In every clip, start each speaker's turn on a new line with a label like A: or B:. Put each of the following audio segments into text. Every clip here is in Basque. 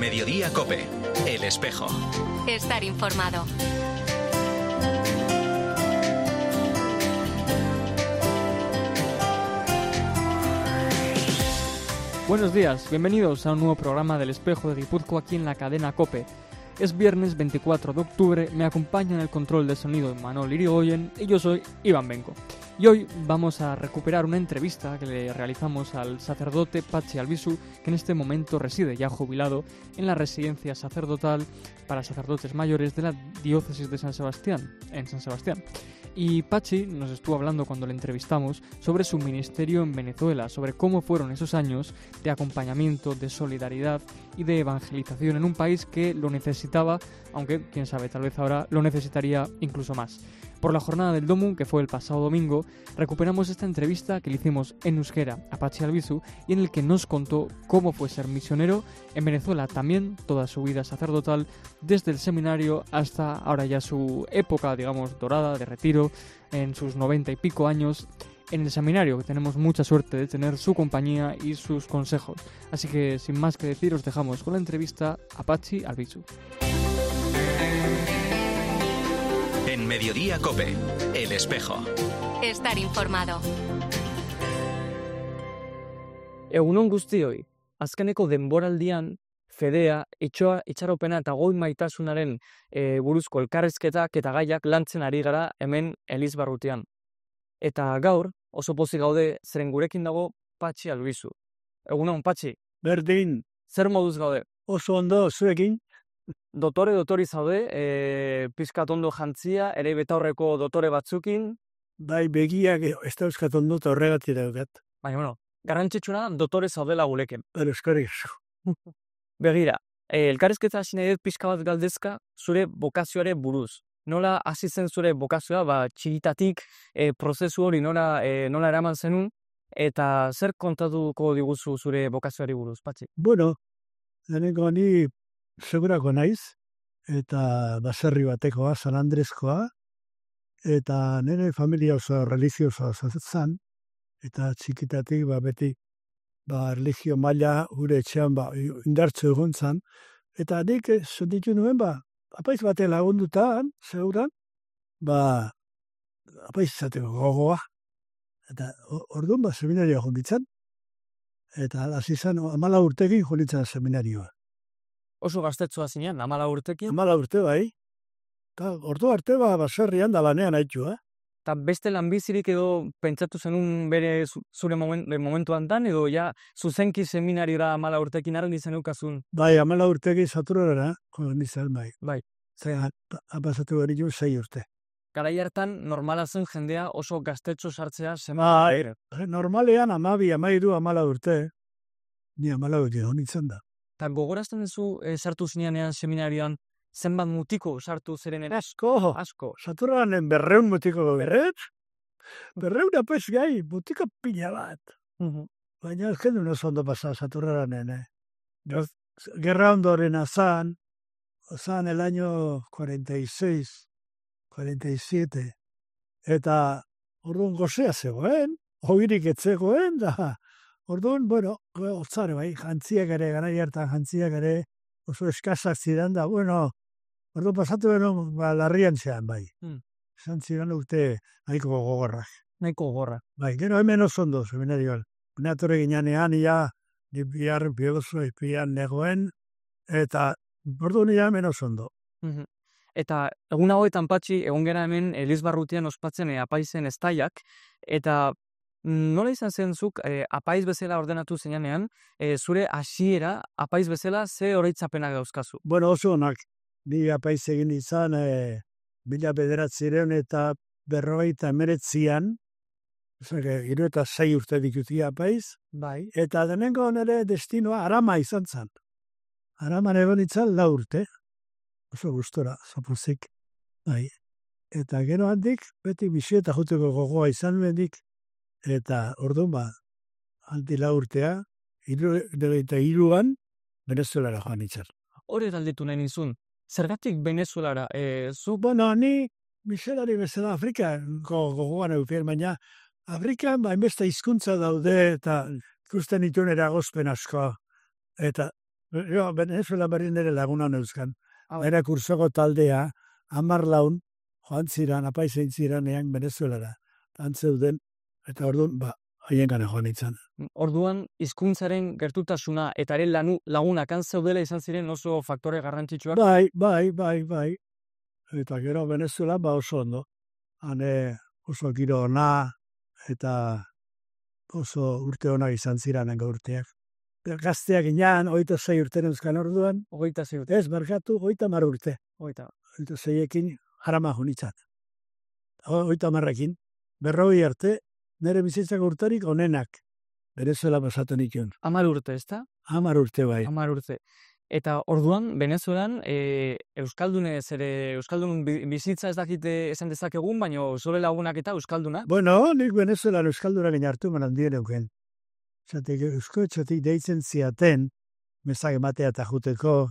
A: Mediodía COPE, El Espejo.
B: Estar informado.
C: Buenos días, bienvenidos a un nuevo programa del Espejo de Guipúzcoa aquí en la cadena COPE. Es viernes 24 de octubre, me acompaña en el control de sonido Manol Irigoyen y yo soy Iván Benco. Y hoy vamos a recuperar una entrevista que le realizamos al sacerdote Patxi Albizu, que en este momento reside ya jubilado en la residencia sacerdotal para sacerdotes mayores de la diócesis de San Sebastián, en San Sebastián. Y Patxi nos estuvo hablando cuando le entrevistamos sobre su ministerio en Venezuela, sobre cómo fueron esos años de acompañamiento, de solidaridad y de evangelización en un país que lo necesitaba, aunque, quién sabe, tal vez ahora lo necesitaría incluso más. Por la jornada del Domun, que fue el pasado domingo, recuperamos esta entrevista que le hicimos en euskera a Patxi Albizu y en el que nos contó cómo fue ser misionero en Venezuela, también toda su vida sacerdotal, desde el seminario hasta ahora ya su época, digamos, dorada, de retiro, en sus 90 y pico años, en el seminario, que tenemos mucha suerte de tener su compañía y sus consejos. Así que, sin más que decir, os dejamos con la entrevista a Patxi Albizu.
A: En Mediodía COPE, El Espejo.
B: Estar informado.
D: Egunon guztioi, azkeneko denboraldian fedea, itxaropena eta goi maitasunaren buruzko elkarrizketak eta gaiak lantzen ari gara hemen Elizbarrutian. Eta gaur, oso pozik gaude, zeren gurekin dago Patxi Albizu. Egunon, Patxi.
E: Berdin,
D: Zer moduz gaude?
E: oso ondo zuekin,
D: Dotori zaude, pizkat ondo jantzia, ere betaurreko dotore batzukin,
E: bai begiak ez dauzkat ondo eta horregatik daukat.
D: baina, bueno, garrantzitsuna dotore zaudela guleken.
E: Eskerrik asko.
D: Begira, elkarrizketa hasi nahi dut pixka bat galdezka zure bokazioare buruz. Nola hasi zen zure bokazioa, txikitatik prozesu hori nola eraman zenun, eta zer kontatuko diguzu zure bokazioari buruz, Patxi?
E: Bueno, lehenengo ni segurako naiz, eta baserri batekoa, San Andreskoa, eta nire familia oso religiosoa zen, eta txikitatik beti religio maila gure etxean indartzu egon zen, eta nik ditu nuen apaiz batean lagundutan, zeuran, apaiz izateko gogoa. Eta orduan seminarioa jonditzen, eta hasi zen 14 urtekin jonditzen seminarioa.
D: Oso gaztetxoa zinean, 14 urtekin,
E: 14 urte bai, eta ordu arte baserrian da lanean haitu,
D: eta beste lanbizirik edo pentsatu zenun bere zure momentuan dan, edo ja zuzenki seminariora 14 urtekin argi zenukazun.
E: Bai, 14 urtekin saturara, jonditzen bai.
D: Bai.
E: Zer, apasatu gari 6 urte.
D: Garai hartan normala zen jendea oso gaztetxo sartzea
E: Bai, normalean 12, 13, 14 urte, ni 14 urte jonditzen da.
D: Eta gogorazten duzu sartu zinean seminarioan zenbat mutiko sartu zeren
E: Asko, saturanen 200 mutiko berreun apes gai, mutiko pila bat. Baina ez genuen oso ondo pasa saturanen, Gerra ondoren azan el año 46, 47, eta orduan gozea zegoen, hogirik etzegoen, da orduan, bueno, otzare bai, jantziak ere, garai hartan jantziak ere, oso eskasak ziren da, bueno, orduan pasatu beno, larrian zean bai. Zan ziren urte nahiko gogorrak.
D: Nahiko gogorra.
E: Bai, gero hemen oso ondo, seminarioan. Neatore ginean, ni biharren pian negoen, eta orduan hemen oso ondo.
D: Eta egun hauetan, Patxi, egon gera hemen Elizbarrutian ospatzen apaizen estaiak, eta nola izan zen zuk apaiz bezala ordenatu zenean, zure hasiera apaiz bezala ze oroitzapenak dauzkazu?
E: Bueno, oso onak, ni apaiz egin izan 1900 eta 59an, 76 urte dikutia apaiz,
D: Bai.
E: eta denengo nire destinoa Arama izan zen. Araman egon itzan 4 urte, oso gustora, zapozik. Bai. Eta gero handik, beti bisieta juteko gogoa izan bendik, eta orduan handik 4 urtea, 73an, Venezuelara joan itzan.
D: Hori galdetu nahi nizun, zergatik Venezuelara,
E: Bueno, ni miselari bezala Afrikako gogoan eukien, baina Afrikan hainbeste hizkuntza daude, eta ikusten dituen eragozpen asko. Eta Venezuela berri nire laguna neuzkan. Era kursoko taldea, 10 laun, joan ziran, apaizein ziranean Venezuelara. Antzeuden, eta orduan, haien gana joan itzan.
D: Orduan, hizkuntzaren gertutasuna eta ere lagunak antzeudela izan ziren oso faktore garrantzitsuak.
E: Bai. Eta gero Venezuela oso ondo. Hane oso giro ona eta oso urte ona izan ziranen urteak. Gazteak inan, 26 urte neuzkan orduan.
D: 26 urte.
E: Ez, markatu, 30 urte. 26ekin harama junitzat. 30ekin, 40 arte, nire bizitzako urtarik onenak. Venezuela pasatzen ikon.
D: 10 urte, ez da?
E: 10 urte bai.
D: 10 urte. Eta orduan, Venezuelan, Euskaldun bizitza ez dakite esan dezakegun, baina zure lagunak eta Euskalduna?
E: Bueno, nik Venezuelan Euskaldunak inartu manan dien euken. Zatek, euskotxotik deitzen ziaten, mezak ematea eta juteko,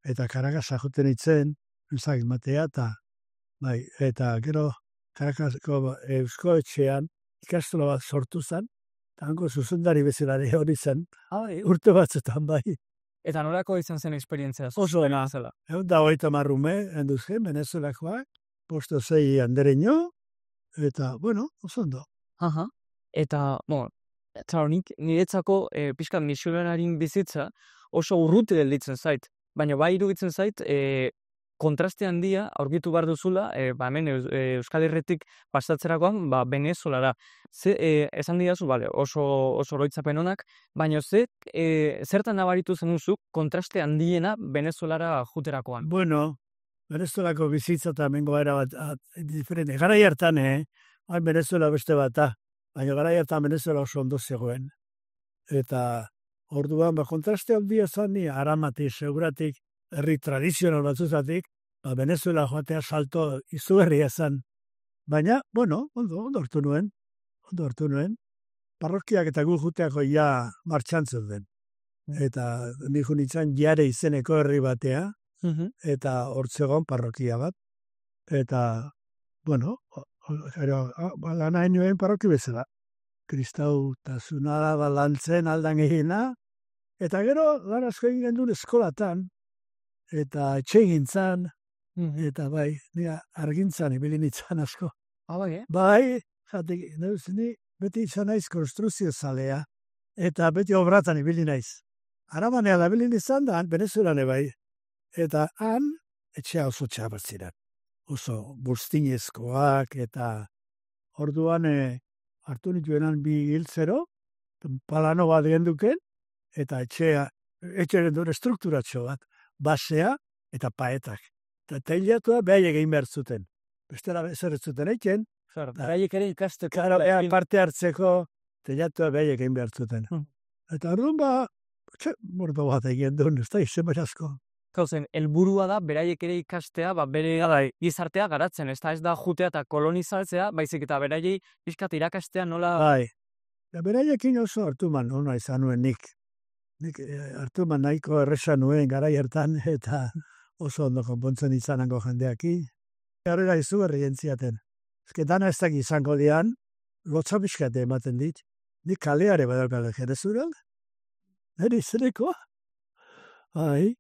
E: eta Caracasa juten itzen, mezak ematea eta gero Caracasako euskoetxean ikastola bat sortu zen, eta hango zuzendari bezalare hori zen, urte batzutan bai.
D: Eta norako izan zen esperientzia?
E: Oso dena. Da 30 ume, enduzken, Venezuelakoak, 5-6 andereño, eta, bueno, oso ondo.
D: Eta, niretzako pixka misionarin bizitza oso urruti gelditzen zait. Baina bai iruditzen zait, kontraste handia aurkitu behar duzula, hemen Euskal Herritik pasatzerakoan, Venezuelara. Esan didazu, oso oroitzapen honak, baina zertan nabaritu zenuzuk kontraste handiena Venezuelara juterakoan?
E: Bueno, Venezuelako bizitza eta mengo era bat diferente. Garai hartan, Venezuela beste bata, baina garai hartan Venezuela oso ondo zegoen. Eta orduan, kontraste handia zan ni, Aramati, seguratik, herri tradizional batzuzatik, Venezuela joatea salto izugarria zen. Baina, bueno, ondo hartu nuen. Parrokiak eta gu juteako ja martxantzen den. Eta niku nintzen Jare izeneko herri batea, eta hortzegon parrokia bat. Eta, bueno, lana nuen parroki bezala. Kristau eta zunada balantzen aldan egina. Eta gero, lan asko egin gendun eskolatan, eta etxegintzan, eta bai, nire argintzan ibili nintzen asko. Bai, jatik, ni beti izan naiz konstruzio zalea, eta beti obratan ibili naiz. Arabanea da ibili nizan da, Venezuelane bai. Eta han, etxea oso txabatzirak. Oso bustinezkoak, eta orduan hartu nituenan 2 hiltzero, palano bat genduken, eta etxe gendun estrukturatxo bat. Basea eta paetak. Eta teilatua behaiek egin behar zuten. Bestela zer ez zuten eiken.
D: Behaiek ere ikasteko.
E: Parte hartzeko teilatua behaiek egin behar zuten. Eta orduan mordo bat egin duen, ez da izen asko.
D: Gauzen, helburua da beraiek ere ikastea, bere gizartea garatzen, ez da jutea eta kolonizatzea, baizik eta beraiei pixkat irakastea nola...
E: Bai, beraiekin oso hartuman ona izan nuen nik. Nik hartuman nahiko erresa nuen garai hartan eta oso ondo konpontzen izanango jendeaki. Garrera izugarri jentziaten. Ezke dana ez daki izango dian, lotza pixkate ematen dit. Nik kaleare badalkale jerezural. Neri zereko? Bai.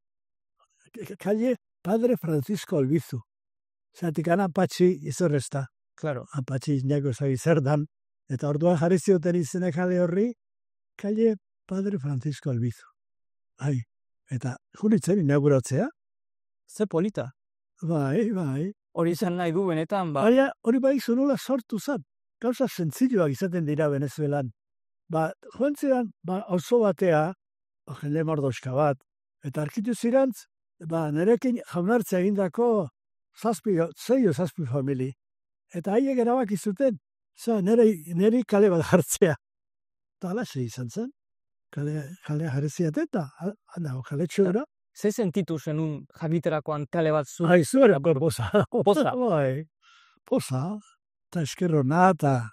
E: Kalle Padre Francisco Albizu. Zatik ana Apatxi izorrezta.
D: Claro.
E: Apatxi inako zagi zer dan. Eta orduan jarri zioten izene kale horri, Kalle Padre Francisco Albizu. Bai. Eta junitzen inauguratzea.
D: Ze polita.
E: Bai.
D: Hori izan nahi du benetan,
E: Baina hori bai zunola sortu zan. Gauza zentzilloak izaten dira Venezuelan. Joan ziren, auzo batea, jende mordoska bat, eta arkitu zirantz, nerekin jaunartzea egindako 6 famili. Eta haiek erabaki zuten, neri kale bat jartzea. Eta alaxe izan zen. Kale jarreziat eta, kale txura.
D: Ze sentitu zenun jakiterakoan kale bat zu?
E: Zuera, poza.
D: Poza?
E: Bai, poza. Eta eskerrona, eta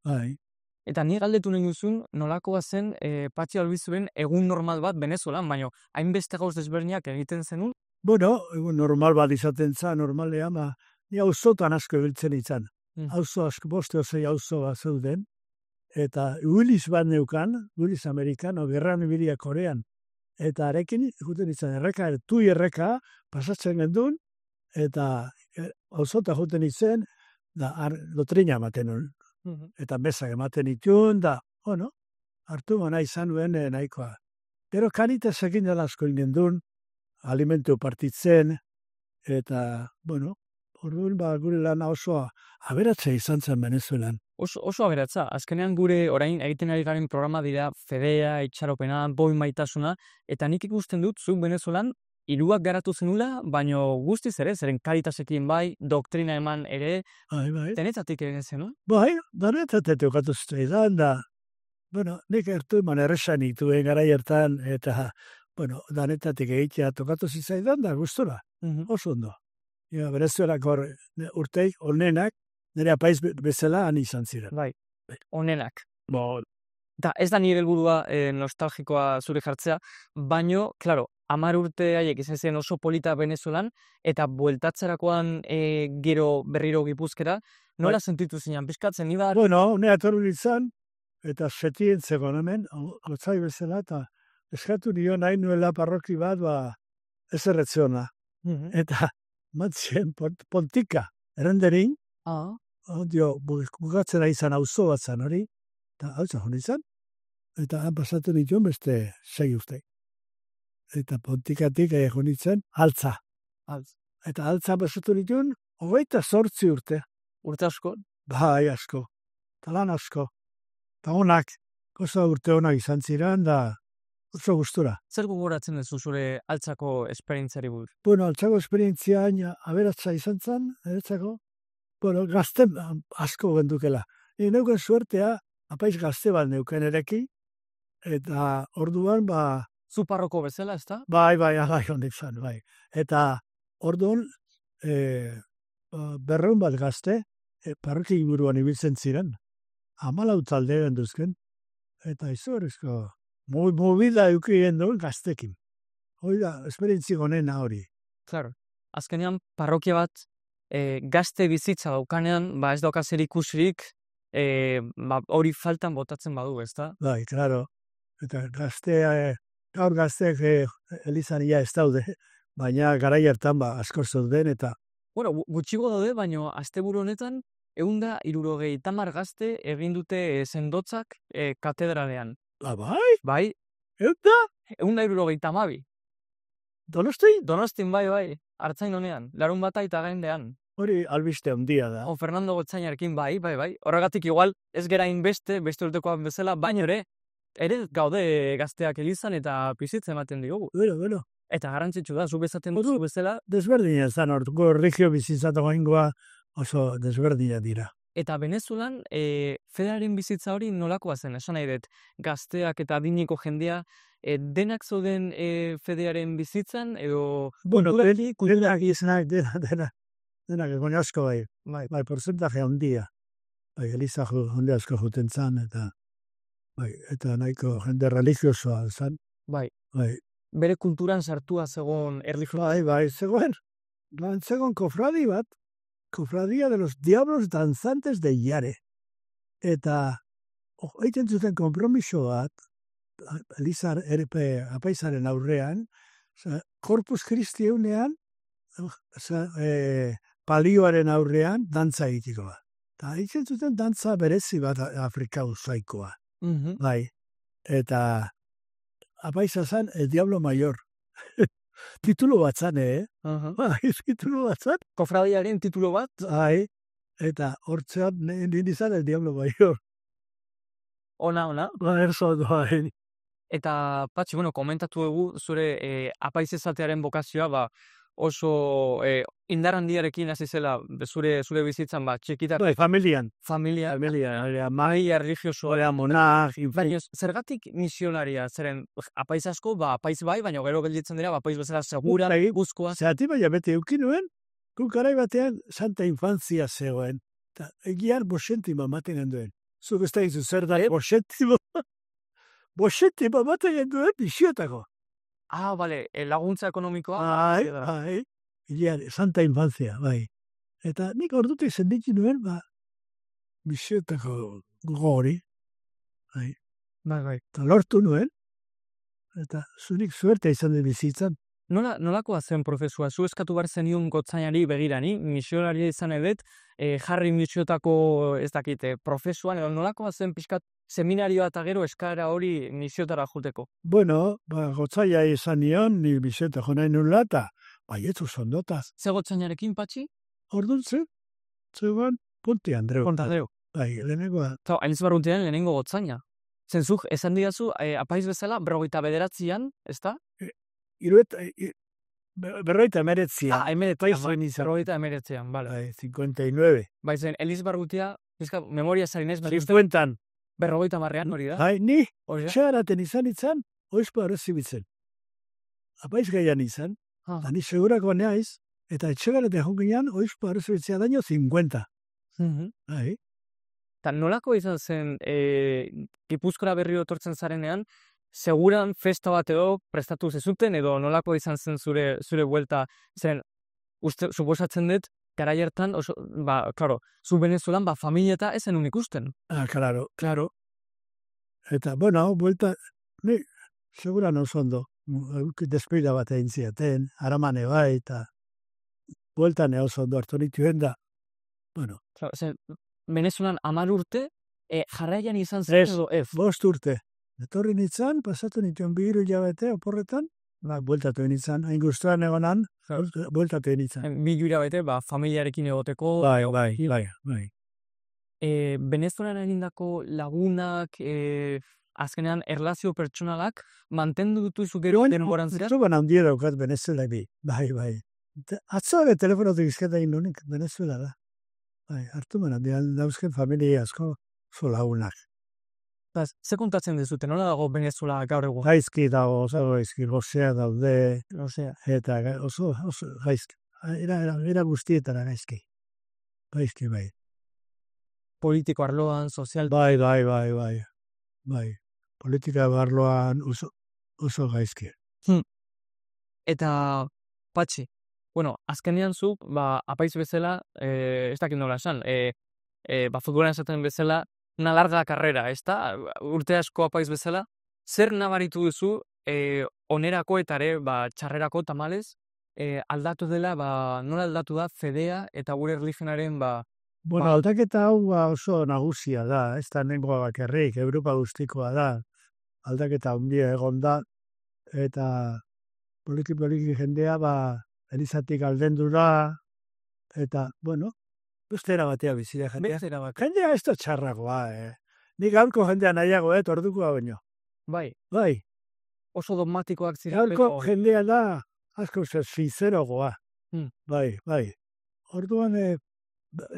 E: bai.
D: Eta ni galdetu nahi duzun, nolakoa zen Patxi Albizuen egun normal bat Venezuelan, baina hainbeste gauz desberdinak egiten zenun?
E: Bueno, egun normal bat izaten za, normalea, ni auzotan asko ebiltzen izan. Auzo asko, 5-6 auzo bat zeuden, eta Willis bat neukan, Willis Amerikano, gerran ibilia Korean, eta arekin juten izan erreka, tui erreka, pasatzen gendun, eta auzota juten izan, da lotrina ematen nun. Eta bezak ematen itun, da, hartu mana izan nuen nahikoa. Pero kanitesekin dela asko gendun, alimentu partitzen, eta, orduan gure lana oso aberatza izan zen Venezuelan.
D: Oso aberatza. Azkenean gure orain egiten ari garen programa dira fedea, itxaropena, boi maitasuna, eta nik ikusten dut zuk Venezuelan hiruak garatu zenula, baino guztiz ere, zeren karitasekin bai, doktrina eman ere, denetatik ere zen, no?
E: Bai, denetatik okatu zaidan da, nik ertu eman erresan ituen gara hartan, eta, denetatik egitea tokatu zizaidan da, gustora, oso ondo. Venezuelak urteik, onenak, nire apaiz bezala han izan ziren.
D: Bai, onenak. Da, ez da nire helburua nostalgikoa zure jartzea, baino, klaro, 10 urte haiek izan ziren oso polita Venezuelan, eta bueltatzerakoan gero berriro Gipuzkera, nola sentitu zinean, pizkatzen, ni bat?
E: Nire atorru izan, eta setien zegoen hemen, gotzai bezala, eta eskatu nio nahi nuela parroki bat, ez erretzeona. Eta, matzien, pontika, erenderin, bukatzen ari izan auzo bat zan hori, eta hau zan izan, eta han pasatu dituen beste 6 urte. Eta pontikatik jonitzen, altza. Eta altza pasatu dituen, 28 urte.
D: Urte asko?
E: Bai, asko. Talan asko. Eta honak, goza urte honak izan ziren, da oso gustura.
D: Zer gogoratzen duzu zure altzako esperientziari buruz?
E: Altzako esperientzia aberatza izan zen, gazte asko gendukela. Neuken suertea, apaiz gazte bat neuken ereki, eta orduan,
D: zu parroko bezala, ez da?
E: Bai, hondik zan, bai. Eta orduan, 200 bat gazte, parroki inguruan ibiltzen ziren, 14 talde genduzken, eta izugarrizko, movida eukien duen gaztekin. Hori da, esperientzi gonena hori.
D: Claro, azkenean parrokia bat gazte bizitza daukanean, ez dauka zer ikusirik, hori faltan botatzen badu, ez da?
E: Bai, claro. Eta gaur gazteak elizan ia ez daude, baina garai hartan asko zeuden eta...
D: Gutxigo daude, baina asteburu honetan, 170 gazte egin dute sendotzak katedralean.
E: Bai?
D: Bai. 172.
E: Donostin?
D: Donostin, bai. Artzain honean, larun bata eta gaindean.
E: Hori albiste handia da.
D: Fernando Gotzainarekin, bai. Horregatik igual, ez gerain beste urtekoan bezala, baino ere gaude gazteak elizan eta pizitzen ematen diogu.
E: Bueno.
D: Eta garrantzitsu da, zu bezaten duzu bezala.
E: Desberdina zan, orduko erligio bizitzatu gaingoa oso desberdina dira.
D: Eta Venezuelan, fedearen bizitza hori nolakoa zen, esan nahi dut, gazteak eta adineko jendea, denak zoden fedearen bizitzan, edo...
E: Denak izanak, denak egon asko bai. Bai, porcentaje handia. Bai, eliza honde asko juten zan, eta nahiko jende religiosoa zan.
D: Bai. Bere kulturan sartua zegoen erlijioa.
E: Bai, zegoen kofradi bat, Cofradía de los Diablos Danzantes de Yare. Eta, egiten zuten konpromiso bat, Elizar apaizaren aurrean, Corpus Christi eunean, palioaren aurrean, dantza egitiko bat. Eta egiten zuten dantza berezi bat Afrika usaikoa. Bai. Eta, apaiza zen, el Diablo Mayor. Titulo bat zan, titulo bat zan.
D: Kofradiaren titulo bat?
E: Eta hortzean nindizan el Diablo Mayor.
D: Ona?
E: Erso,
D: Eta, Patxi, komentatu dugu zure apaiz ezatearen bokazioa, oso indar handiarekin hasi zela zure bizitzan, txikitar.
E: Familian.
D: Familia, religiosoa,
E: monar.
D: Baina, zergatik misionaria, zeren apaiz asko, apaiz bai, baina gero gelditzen dira, apaiz bezala segura, guzkoa.
E: Zerati baina bete eukinuen, garai batean Santa Infantzia zegoen. Eta egian bosentima maten genduen. Zuk ez da izu zer da, bosentima maten genduen bisiotako.
D: Bale, laguntza ekonomikoa.
E: Bai. Santa Infantzia, bai. Eta nik ordutik zenditzen nuen, bisiotako gori. Bai.
D: Bai.
E: Eta lortu nuen, eta zunik suerte izan dut bizitzan.
D: Nolakoa zen prozesua? Zu eskatu behar zenion gotzainari begirani, misionaria izan edet, jarri misiotako ez dakite, prozesuan, edo nolakoa zen pixkat seminarioa eta gero eskara hori misiotara juteko?
E: Bueno, gotzaia izan nion, ni biseta jonain nula, eta baietzu sondotaz.
D: Ze gotzainarekin, Patxi?
E: Orduan zegoen Ponte Andreu.
D: Ponte Andreu.
E: Bai, lehenengoa.
D: Eta Elizbarrutiaren lehenengo gotzaina. Zenzuk, esan didazu, apaiz bezala, 49an, ez da?
E: Berroita emeretzian.
D: Berroita emeretzian, bale.
E: Bai, 59.
D: Bai zen, Elizbarrutia, memoria zarinez,
E: 50-an.
D: Berroita marrean hori da.
E: Bai, ni, txagaraten izan, oizpo arrezibitzen. Apaiz gaian izan, da ni segurako neaiz, eta etxegaraten jonginan, oizpo arrezibitzea daño 50. Bai.
D: Eta nolako izan zen, Gipuzkoara berriro etortzen zarenean, seguran festa bat edo prestatu zezuten, edo nolako izan zen zure buelta, zen, suposatzen dut, garai hartan, klaro, zu Venezuelan, familia eta ezen unik usten.
E: Claro. Eta, bueno, buelta, ni, seguran oso ondo, despida bat egin ziaten, aramane bai, eta bueltan oso ondo hartu nituen da, bueno.
D: Claro, zen, Venezuelan 10 urte, jarraian izan zen edo ez?
E: 5 urte. Etorri nintzen, pasatu nituen 2 hilabete oporretan, bueltatu nintzen, hain guztuan egonan, bueltatu nintzen.
D: 2 hilabete, familiarekin egoteko.
E: Bai.
D: Venezuelan egindako lagunak, azkenean erlazio pertsonalak, mantendu dutuzu gero denboran zira?
E: Zuban handia daukat Venezuela bi, bai. Atzoa telefonotik izketa egin nunik, Venezuela da. Bai, hartu manan, dauzken familia asko oso lagunak.
D: Ze kontatzen dizute, nola dago Venezuela gaur egun?
E: Gaizki dago, oso gaizki, gozea daude, eta oso gaizki. Era guztietara gaizki. Gaizki, bai.
D: Politiko arloan, sozial...
E: Bai. Politika arloan oso gaizki.
D: Eta, Patxi, bueno, azkenean zu, apaiz bezala, ez dakit nola esan, futbolan esaten bezala, una larga carrera, ez da? Urte asko apaiz bezala, zer nabaritu duzu, onerako eta ere, txarrerako tamalez, aldatu dela, nola aldatu da, Fedea eta gure erlijionaren,
E: Bueno, aldaketa hau oso nagusia da, ez da nengoa bakarrik, Europa guztikoa da, aldaketa handia egon da, eta poliki jendea, elizatik aldendu da, eta, bueno, bestera batea bizira jendea. Jendea ez da txarragoa, Nik gaurko jendea nahiago, ordukoa baino.
D: Bai. Oso dogmatikoak zira.
E: Gaurko jendea da, asko sincerogoa. Bai. Orduan,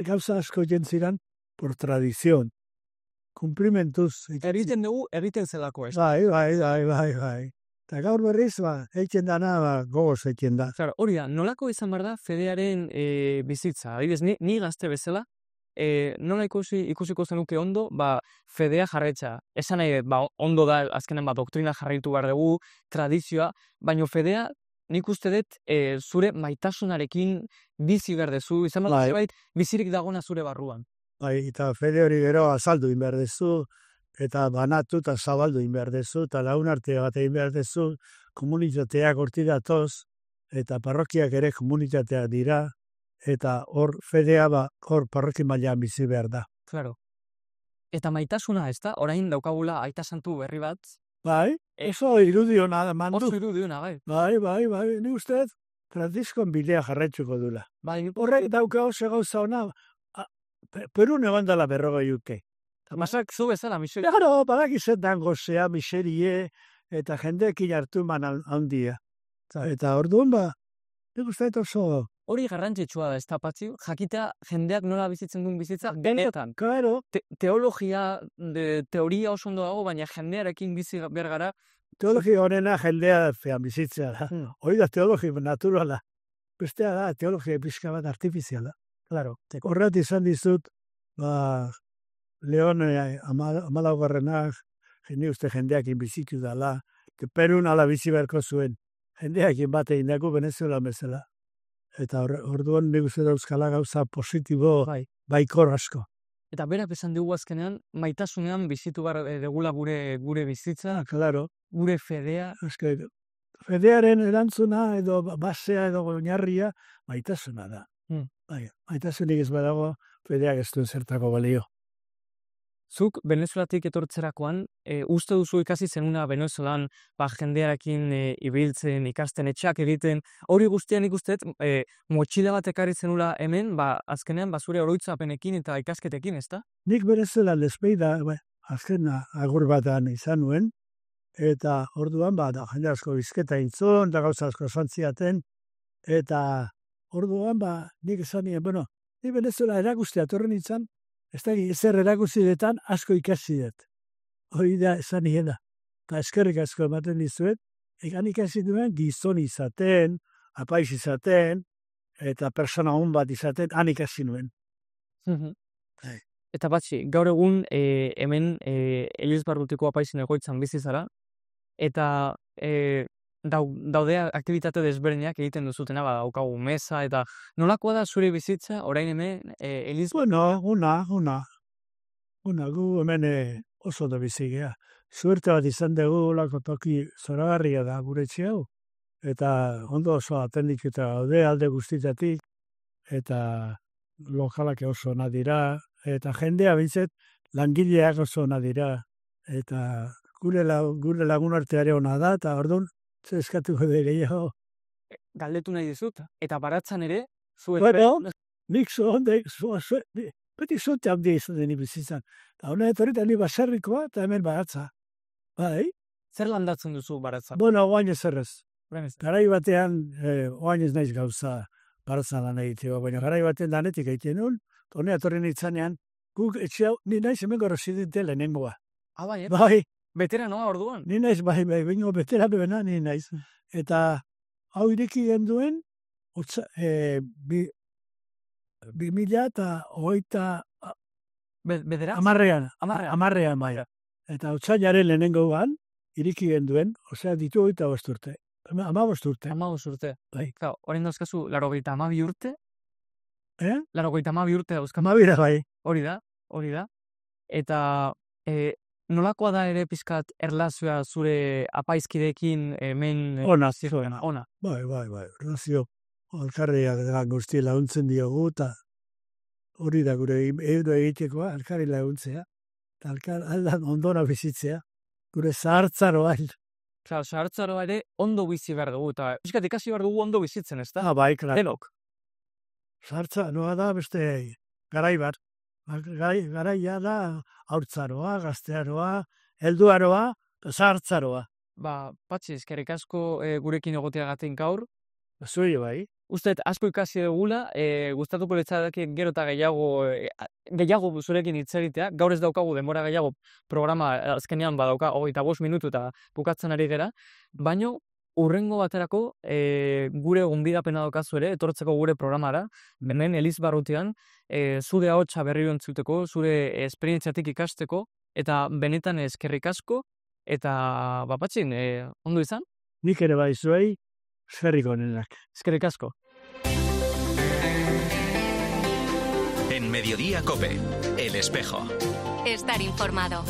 E: gauza asko jentziran, por tradizion. Cumplimentuz.
D: Erriten dugu, erriten zelako ez.
E: Bai. Eta gaur berriz, eitzen dana, gogoz eitzen da.
D: Hori da, nolako izan behar da Fedearen bizitza? Adibidez, ni gazte bezala, nola ikusiko zenuke ondo, Fedea jarretxa. Esan nahi, ondo da, azkenen doktrina jarraitu behar dugu, tradizioa, baina Fedea, nik uste dut, zure maitasunarekin bizi behar dezu, izan behar bizirik dagona zure barruan.
E: Bai, eta Fede hori gero azaldu behar dezu, eta banatu eta zabaldu behar dezu, eta lagunartea bat egin behar dezu, komunitateak horti datoz, eta parrokiak ere komunitateak dira, eta hor Fedea hor parroki mailan bizi behar da.
D: Claro. Eta maitasuna, ez da? Orain daukagula aita santu berri bat?
E: Bai, oso irudiona mandu.
D: Oso irudiona, bai.
E: Bai, ni uste, Franciscon bidea jarraitzuko dula.
D: Bai,
E: horrek dauka oso gauza ona, Perun egon dela 40 urte.
D: Masak zu bezala, miseria.
E: Claro, badakizetan gozea, miserie, eta jendeekin hartu handia. Eta orduan nik uste oso...
D: Hori garrantzitsua da, ez da, Patxi? Jakitea jendeak nola bizitzen duen bizitza, benetan.
E: Claro.
D: Teoria oso ondo dago, baina jendearekin bizi behar gara.
E: Teologia honena jendea bizitzea da. Hori da teologia naturala. Bestea da, teologia pixka bat artifiziala. Claro. Horret izan dizut, Leon amalaugarrenak, uste jendeakin bizitu dela, Perun ala bizi beharko zuen. Jendeakin bat egin dago Venezuela bezala. Eta orduan nik uste dauzkala gauza positibo baikor asko.
D: Eta berak esan dugu azkenean, maitasunean bizitu behar degula gure bizitza.
E: Claro.
D: gure fedea...
E: Eske, fedearen erantzuna edo basea edo oinarria maitasuna da. Bai, maitasunik ez badago, fedeak ez duen zertako balio.
D: Zuk Venezuelatik etortzerakoan, uste duzu ikasi zenuna Venezuelan jendearekin ibiltzen, ikasten, etxeak egiten, hori guztian ikustet, motxila bat ekarri zenula hemen, azkenean zure oroitzapenekin eta ikasketekin, ezta?
E: Nik Venezuela lespeida, azken agur batan izan nuen, eta orduan, jende asko bizketa intzon, da gauza asko santziaten, eta orduan, nik esan nien, ni Venezuela erakustea torren nintzen, ez da ezer erakuzidetan asko ikasi dut. Hori da esan niena. Eta eskerrik asko ematen dizuet, egan ikasi duen gizon izaten, apaiz izaten, eta persona hon bat izaten, han ikasi nuen.
D: Eta batxi, gaur egun hemen Elizbarrutiko apaizin egoitzan bizi zara, eta daude aktivitate desberdinak egiten duzutena, daukagu mesa, eta nolakoa da zure bizitza, orain hemen
E: Bueno, una, gu hemen oso da bizigea. Suerte bat izan dugu, lako toki zoragarria da gure hau, eta ondo oso atendik eta gaude alde guztitatik, eta lokalak oso ona dira, eta jendea bintzet langileak oso ona dira, eta gure lagun arteare ona da, eta orduan, zer eskatuko da gehiago.
D: Galdetu nahi dizut, eta baratzan ere,
E: Nik beti zuente handia izan deni bizitzan. Eta hona etorita ni baserrikoa eta hemen baratza. Bai?
D: Zer landatzen duzu baratza?
E: Oain ez errez. Garai batean, oain ez naiz gauza baratzan lan egiteko, baina garai batean lanetik egiten nuen, hona etorren itzanean, guk etxeau, ni naiz hemen residente lehenengoa.
D: Bai, veteranoa orduan?
E: Ni naiz, bai, bingo veteranoena, ni naiz. Eta hau ireki genduen, 2008 amarrean bai. Eta otsailaren lehenengoan, iriki genduen, osea ditu 25 urte. 15 urte.
D: 15 urte.
E: Bai.
D: Orain dauzkazu 82 urte? 82 urte dauzkazu.
E: 12 bai.
D: Hori da. Eta nolakoa da ere pizkat erlazioa zure apaizkideekin hemen...
E: Ona. Bai. Erlazio alkarriak guzti laguntzen diogu, eta hori da gure euro egitekoa, alkarri laguntzea, eta aldan ondona bizitzea, gure zahartzaroa.
D: Zahartzaroa ere ondo bizi behar dugu, eta pizkat ikasi behar dugu ondo bizitzen, ez da?
E: Bai, klar.
D: Denok.
E: Zahartzaroa da beste garai bat. Garaia da haurtzaroa, gaztearoa, helduaroa, zahartzaroa.
D: Patxi, eskerrik asko gurekin egoteagatik gaur.
E: Zuri bai.
D: Uste, asko ikasi dugula, gustatuko litzateke gero eta gehiago zurekin hitz egitea. Gaur ez daukagu denbora gehiago programa azkenean badauka 25 minutu eta bukatzen ari gera. Baina urrengo baterako gure gonbidapena daukazu ere, etortzeko gure programara, hemen Elizbarrutian, zure ahotsa berriro entzuteko, zure esperientziatik ikasteko, eta benetan eskerrik asko, eta Patxin, ondo izan?
E: Nik ere bai zuei, eskerrik onenak.
D: Eskerrik asko.
A: En Mediodía COPE, El Espejo.
B: Estar informado.